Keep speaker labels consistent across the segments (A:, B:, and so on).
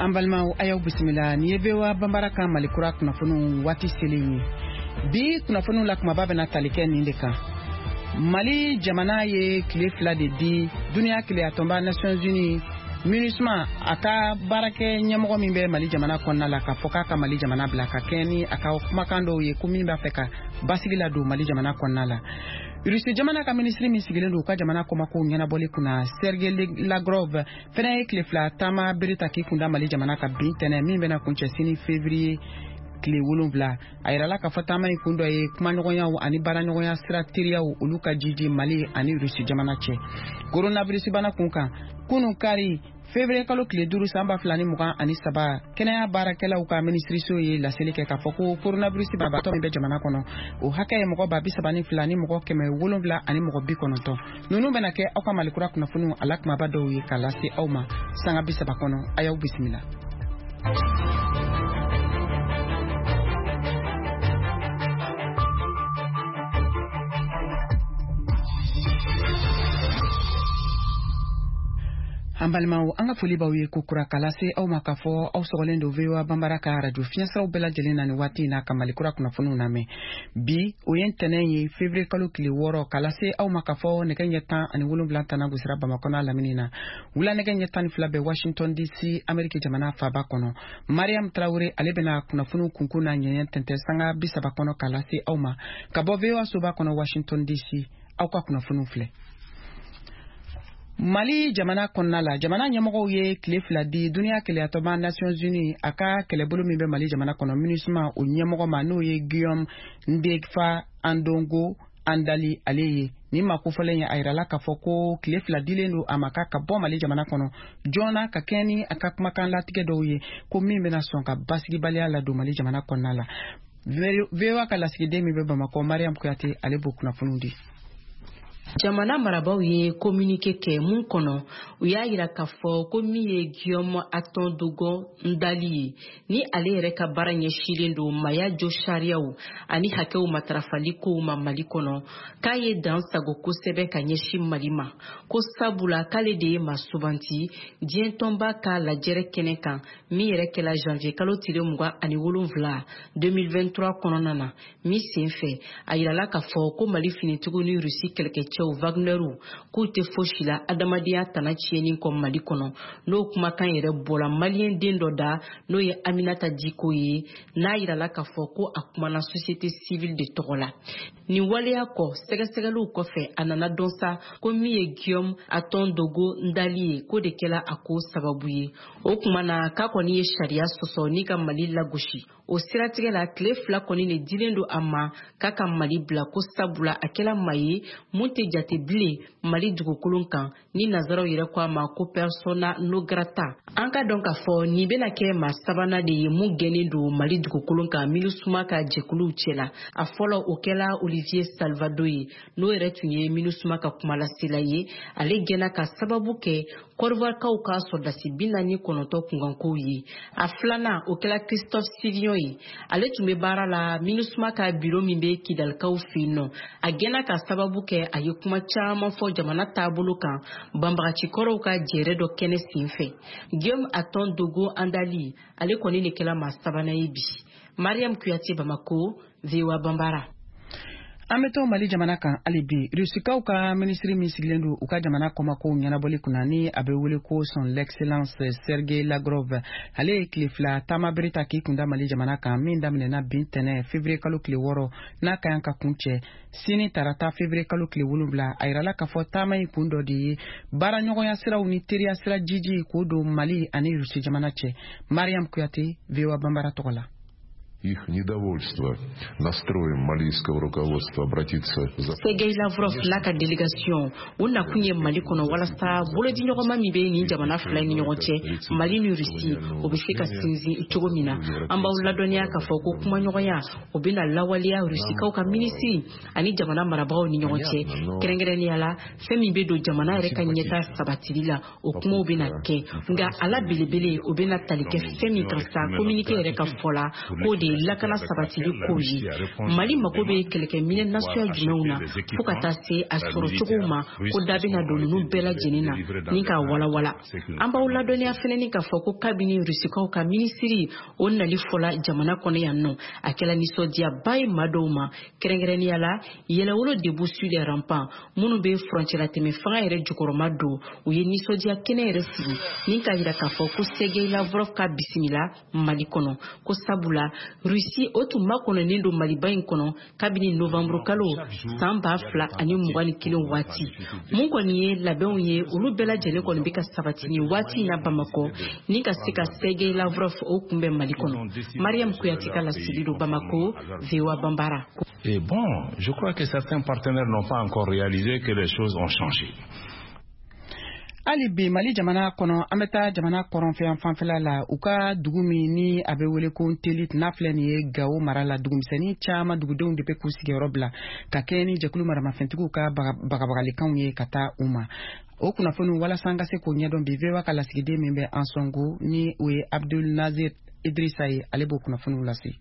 A: An balimaw, a y'aw bisimila. Nin ye VOA Banbara ka Mali kura kunnafoniw waati selen ye. Bi kunnafoniw la, kumaba bɛna tali kɛ nin de kan: Mali jamana ye tile 2 de di duniya kelenyatɔnba Nations Unies MINUSMA a ka baarakɛ ɲɛmɔgɔ min bɛ Mali jamana kɔnɔna la, k'a fɔ k'a ka Mali jamana bila, ka kɛɲɛ ni a ka kumakan dɔw ye ko min b'a fɛ ka basigi ladon Mali jamana kɔnɔna la. Rusi jamana ka minisiri min sigilen don u ka jamana kɔmakow ɲɛnabɔli kunna, Sergei Lavrov, fɛnɛ ye tile 2 taama bere ta k'i kunda Mali jamana kan bi tɛnɛ, min bɛna kuncɛ sini février tile 7. A yirala k'a fɔ taama in kun dɔ ye kumaɲɔgɔnyaw ani baaraɲɔgɔnya sira teriyaw, olu ka jiji Mali ani Rusi jamana cɛ. Coronavirus bana kun kan, kunu kari février kalo tile 5 san 2023, kɛnɛya baarakɛlaw ka minisiriso ye laseli kɛ k'a fɔ ko coronavirus banabaatɔ min bɛ jamana kɔnɔ, o hakɛ ye mɔgɔ 32 ni mɔgɔ 790. Ninnu bɛna kɛ aw ka Malikura kunnafoniw a la kumaba dɔw ye k'a lase aw ma sanga 30 kɔnɔ. A y'aw bisimila. An balimaw, an ka foli b'aw ye ko kura k'a lase aw ma k'a fɔ aw sɔgɔlen don VOA Banbara ka radio fiɲɛsiraw bɛɛ lajɛlen na nin waati in na ka Malikura kunnafoniw lamɛn. Bi, o ye ntɛnɛn ye, février kalo tile 6, k'a lase aw ma k'a fɔ nɛgɛ ɲɛ 17 tana gosira Bamakɔ n'a lamini na, wula nɛgɛ ɲɛ 12 bɛ Washington DC, Ameriki jamana faaba kɔnɔ. Mariam Tarawele, ale bɛna kunnafoniw kunkun n'a ɲɛɲɛ tɛntɛn sanga 30 kɔnɔ k'a lase aw ma ka bɔ VOA soba kɔnɔ Washington DC. Aw ka kunnafoniw filɛ. Mali jamana kɔnɔna la, jamana ɲɛmɔgɔw ye tile 2 di duniya kelenyatɔnba Nations Unies a ka kɛlɛbolo min bɛ Mali jamana kɔnɔ, MINUSMA, o ɲɛmɔgɔ ma, n'o ye Guillaume Ndefa Andongo Andali ale ye. Nin ma kofɔlen ye, a yirala k'a fɔ ko tile 2 dilen don a ma k'a ka bɔ Mali jamana kɔnɔ joona, ka kɛɲɛ ni a ka kumakan latigɛ dɔw ye ko min bɛna sɔn ka basigibaliya ladon Mali jamana kɔnɔna la. VOA ka lasigiden min bɛ Bamakɔ, Mariam Kuyate, ale b'o kunnafoniw di.
B: Jamana marabaw ye communiqué kɛ mun kɔnɔ, u y'a yira k'a fɔ ko min ye Guillaume Aton Dogon Ndali ye, ni ale yɛrɛ ka baara ɲɛsilen don maya jo sariyaw ani hakɛw matarafali kow ma Mali kɔnɔ, k'a ye dan sago kosɛbɛ ka ɲɛsin Mali ma, ko sabula k'ale de ye maa subanti diɲɛ tɔnba ka lajɛrɛ kɛnɛ kan min yɛrɛ kɛla janvier kalo tile 27 2023 kɔnɔna na, min sen fɛ a yirala k'a fɔ ko Mali finitigiw ni Rusi kɛlɛkɛcɛw Wagnerw k'u tɛ fosi la adamadenya tana tiɲɛni kɔ Mali kɔnɔ. N'o kumakan yɛrɛ bɔra maliyɛn den dɔ da, n'o ye Aminata Diko ye, n'a yirala k'a fɔ ko a kumana société civile de tɔgɔ la. Nin waleya kɔ, sɛgɛsɛgɛliw kɔfɛ, a nana dɔn sa ko min ye Guillaume Aton Dogo Ndali ye, k'o de kɛla a ko sababu ye. O kuma na, k'a kɔni ye sariya sɔsɔ ni ka Mali lagosi. O siratigɛ la, tile 2 kɔni de dilen don a ma k'a ka Mali bila, ko sabula a kɛla maa ye mun tɛ jate bilen Mali dugukolo kan, ni nazaraw yɛrɛ ko a ma ko persona non grata. An ka dɔn k'a fɔ nin bɛna kɛ maa sabanan de ye mun gɛnnen don Mali dugukolo kan MINUSMA ka jɛkuluw cɛla. A fɔlɔ, o kɛla Olivier Salvado ye, n'o yɛrɛ tun ye MINUSMA ka kumalasela ye. Ale gɛnna ka sababu kɛ Kɔdiwarikaw ka sɔrɔdasi 49 kunkankow ye. A filanan, o kɛla Christophe Sivion ye, ale tun bɛ baara la MINUSMA ka biro min bɛ Kidalikaw fɛ yen nɔ. A gɛnna ka sababu kɛ a ye kuma caman fɔ jamana taabolo kan banbagacikɔrɔw ka jɛrɛ dɔ kɛnɛ sen fɛ. Guillaume Aton Dogo Andali, ale kɔni de kɛla maa sabanan ye bi. Mariam Kuyate, Bamako, VOA Banbara.
A: An bɛ to Mali jamana kan hali bi. Rusikaw ka minisiri min sigilen don u ka jamana kɔmakow ɲɛnabɔli kunna, ni a bɛ wele ko Son Excellence Sergei Lavrov, ale ye tile 2 taama bere ta k'i kunda Mali jamana kan, min daminɛna bi tɛnɛ février kalo tile 6, n'a ka kan ka kuncɛ sini tarata février kalo tile 7. A yirala k'a fɔ taama in kun dɔ de ye baaraɲɔgɔnya siraw ni teriya sira jiji k'o don Mali ani Rusi jamana cɛ. Mariam Kuyate, VOA Banbara tɔgɔ la.
C: Их недовольство настроем малийского руководства обратиться за
B: Sergei Lavrov n'a ka délégation, u nakun ye Mali kɔnɔ walasa bolodiɲɔgɔnma min bɛ nin jamana fila ni ɲɔgɔn cɛ, Mali ni Rusi, o bɛ se ka sinsin cogo min na. An b'aw ladɔnniya k'a fɔ ko kumaɲɔgɔnya o bɛna lawaleya Rusikaw ka minisiri ani jamana marabagaw ni ɲɔgɔn cɛ, kɛrɛnkɛrɛnnenya la fɛn min bɛ don jamana yɛrɛ ka ɲɛta sabatili la, o kumaw bɛna kɛ. Nka a la belebele, o bɛna tali kɛ fɛn min kan sa, communiqué yɛrɛ ka fɔ la, k'o de ye lakana sabatili kow ye. Mali mago bɛ kɛlɛkɛminɛn nasuguya jumɛnw na, fo ka taa se a sɔrɔcogow ma, ko da bɛna don ninnu bɛɛ lajɛlen na ni k'a walawala. An b'aw ladɔnniya fɛnɛ k'a fɔ ko kabini Rusikaw ka minisiri o nali fɔla jamana kɔnɔ yan nɔ, a kɛla nisɔndiyaba ye maa dɔw ma, kɛrɛnkɛrɛnnenya la Yɛlɛwolo Debout sur les remparts minnu bɛ furancɛlatɛmɛ fanga yɛrɛ jukɔrɔma don. U ye nisɔndiya kɛnɛ yɛrɛ sigi ni k'a jira k'a fɔ ko Sergei Lavrov ka bisimila Mali kɔnɔ, ko sabula Rusi o tun makɔnɔnen don Maliba in kɔnɔ kabini novembre kalo san 2021 waati. Mun kɔni ye labɛnw ye, olu bɛɛ lajɛlen kɔni bɛ ka sabati nin waati in na Bamakɔ ni ka se ka Sergei Lavrov o kunbɛn Mali kɔnɔ. Mariam Kouyaté ka laseli don Bamako, VOA Bambara.
D: Et bon, je crois que certains partenaires n'ont pas encore réalisé que les choses ont changé.
A: Hali bi Mali jamana kɔnɔ, an bɛ taa jamana kɔrɔnfɛ fanfɛla la, u ka dugu min ni a bɛ wele ko Ntelit, n'a filɛ nin ye Gawo mara la, dugumisɛnnin caman dugudenw de bɛ k'u sigiyɔrɔ bila ka kɛɲɛ ni jɛkulu maramafɛntigiw ka bagabagalikanw ye ka taa u ma. O kunnafoniw, walasa an ka se k'o ɲɛdɔn bi, VOA ka lasigiden min bɛ Ansongo, ni o ye Abdul Nazir Idrissa ye, ale b'o kunnafoniw lase.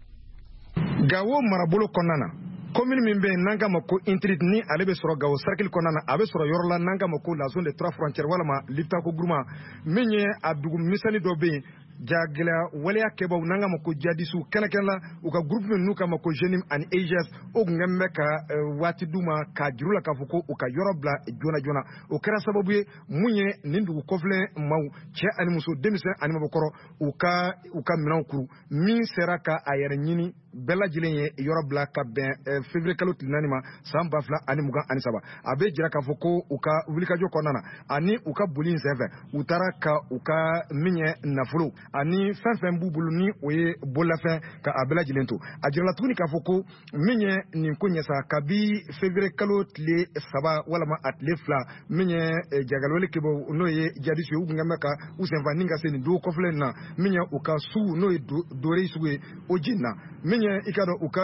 E: Gawo marabolo kɔnɔna na, commune min bɛ yen n'an k'a ma ko Intrit, ni ale bɛ sɔrɔ Gawo cercle kɔnɔna na, a bɛ sɔrɔ yɔrɔ la n'an k'a ma ko la zone des trois frontières walama Liptako Gourma, min ye a dugu misɛnnin dɔ bɛ yen, jagɛlɛya waleya kɛbaw n'an k'a ma ko jadisiw, kɛnɛkɛnɛ la u ka groupe min n'u k'a ma ko JNIM ani EIGS, o tun kɛlen bɛ ka waati d'u ma k'a juru la k'a fɔ ko u ka yɔrɔ bila joona joona. O kɛra sababu ye mun ye nin dugu kɔfilen maaw, cɛ ani muso, denmisɛn ani mabɔkɔrɔ, u ka minɛnw kuru. Min sera ka a yɛrɛ ɲini, bɛɛ lajɛlen ye yɔrɔ bila ka bɛn février kalo tile 4 ma san 2023. A bɛ jira k'a fɔ ko u ka wulikajɔ kɔnɔna na ani u ka boli in senfɛ, u taara ka u ka min ye nafolo ani fɛn fɛn b'u bolo, ni o ye bololafɛn, ka a bɛɛ lajɛlen to. A jirala tuguni k'a fɔ ko min ye nin ko ɲɛ sa, kabi février kalo tile 3 walama a tile 2, min ye jagalwale kɛbaw, n'o ye jadisiw ye, u tun bɛ ka u senfa ni ka se nin dugu kɔfɛlen in na. Min ye u ka sugu, n'o ye Dore sugu ye, o jenina. Min ye i ka dɔn u ka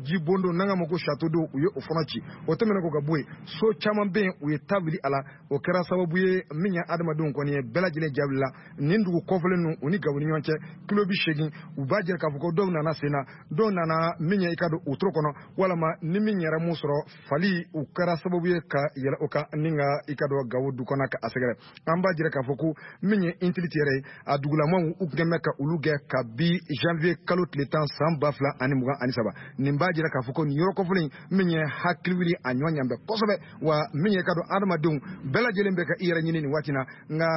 E: ji bondo n'an k'a ma ko château d'eau, u ye o fana ci. O tɛmɛnen kɔ ka bɔ yen, so caman bɛ yen, u ye ta wuli a la. O kɛra sababu ye min ye adamadenw kɔni ye bɛɛ lajɛlen jaabi la. Nin dugu kɔfɛlen ninnu, u ni Gawo ni ɲɔgɔn cɛ kilo 80. U b'a jira k'a fɔ ko dɔw nana sen na, dɔw nana min ye i ka don wotoro kɔnɔ, walama ni min yɛrɛ mun sɔrɔ fali, u kɛra sababu ye ka yɛlɛ o kan ni ka i ka dɔn Gawo du kɔnɔ ka a sɛgɛrɛ. An b'a jira k'a fɔ ko min ye Intiliti yɛrɛ ye, a dugulamaw, u tun bɛ ka olu gɛn kabi janvier kalo tile 10 san 2023. Nin b'a jira k'a fɔ ko nin yɔrɔ kɔfɔlen min ye hakili wuli a ɲɔ ɲan bɛ kosɛbɛ wa. Min ye ka dɔn adamadenw bɛɛ lajɛlen bɛ ka i yɛrɛ ɲini nin waati na, nka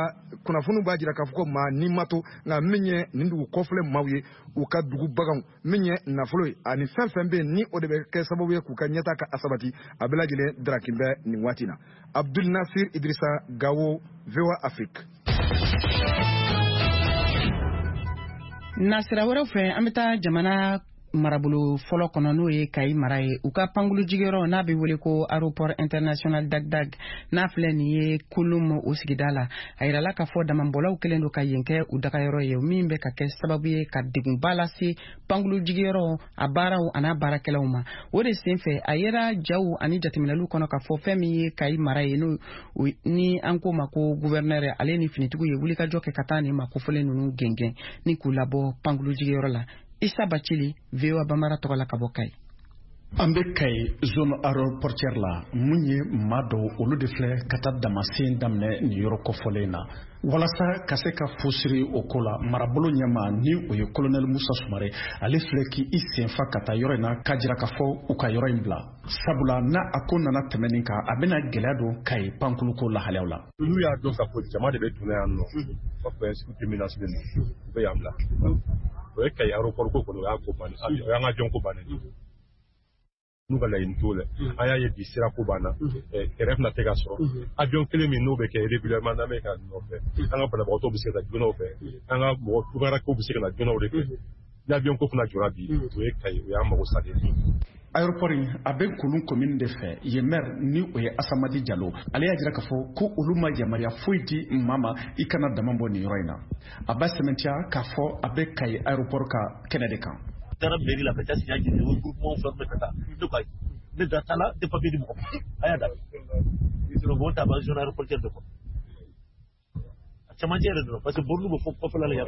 E: kunnafoniw b'a jira k'a fɔ ko maa ni ma to. Nka min ye nin dugu kɔfilɛ maaw ye, u ka dugu baganw, min ye nafolo ye ani fɛn fɛn bɛ yen, ni o de bɛ kɛ sababu ye k'u ka ɲɛta ka a sabati, a bɛɛ lajɛlen darakin bɛ nin waati na. Abdul Nasir Idrissa, Gawo, VOA Afrique.
A: Nasira wɛrɛw fɛ, an bɛ taa jamana marabolo fɔlɔ kɔnɔ, n'o ye Kayi mara ye, u ka pankulu jigiyɔrɔ n'a bɛ wele ko aéroport international Dag-Dag, n'a filɛ nin ye Kolom o sigida la. A yirala k'a fɔ damabɔlaw kɛlen don ka yen kɛ u dagayɔrɔ ye, min bɛ ka kɛ sababu ye ka degunba lase pankulu jigiyɔrɔ a baaraw an'a baarakɛlaw ma. O de sen fɛ, a yera jaw ani jateminɛliw kɔnɔ k'a fɔ fɛn min ye Kayi mara ye, n'o ni an k'o ma ko gouverneur, ale ni finitigiw ye wulikajɔ kɛ ka taa nin ma kofɔlen ninnu gɛngɛn ni k'u labɔ pankulu jigiyɔrɔ la. Isa Bacili, VOA Bambara tɔgɔ la ka bɔ Kayi.
F: An bɛ Kayi zone aéroportière la. Mun ye maa dɔw, olu de filɛ ka taa damasen daminɛ nin yɔrɔ kɔfɔlen na. Walasa ka se ka fosiri o ko la, marabolo ɲɛma, ni o ye colonel Musa Sumare, ale filɛ k'i senfa ka taa yɔrɔ in na k'a jira k'a fɔ u ka yɔrɔ in bila, sabula n'a a ko nana tɛmɛ nin kan, a bɛna gɛlɛya don Kayi pankuluko lahalayaw la.
G: N'u y'a dɔn k'a fɔ jama de bɛ donna yan nɔ, u b'a fɔ sécurité menace bɛ na, u bɛ yan bila. O ye Kayi aéroport ko kɔni, o y'a ko bannen, o y'an ka jɔn ko bannen. N'u ka laɲini t'o la, an y'a ye bi sira ko banna, kɛrɛ fana tɛ ka sɔrɔ. Avion kelen min n'o bɛ kɛ régulièrement, n'an bɛ ka nɔfɛ, an ka banabagatɔw bɛ se ka taa joona o fɛ, an ka mɔgɔ tunkarankew bɛ se ka na joona o de fɛ. Ni avion ko fana jɔra bi, o ye Kayi, o y'an mago salen ye.
F: Aéroport in a bɛ Kolon commune de fɛ. Yen maire, ni o ye Asamadi Jalo, ale y'a jira k'a fɔ ko olu ma yamaruya foyi di maa ma i kana dama bɔ nin yɔrɔ in na. A b'a sɛmɛntiya k'a fɔ a bɛ Kayi aéroport ka kɛnɛ de kan.
H: Taara mairie la ka taa signa jeni, o groupement fɛn ka taa. Ne ko ayi, ne da t'a la, ne papier di mɔgɔ ma, a y'a da sinon mɔgɔ t'a ba zone aéroportière de kɔnɔ, a cɛmancɛ yɛrɛ dɔrɔn, parce que borne bɛ fɔ kɔfɛla la yan.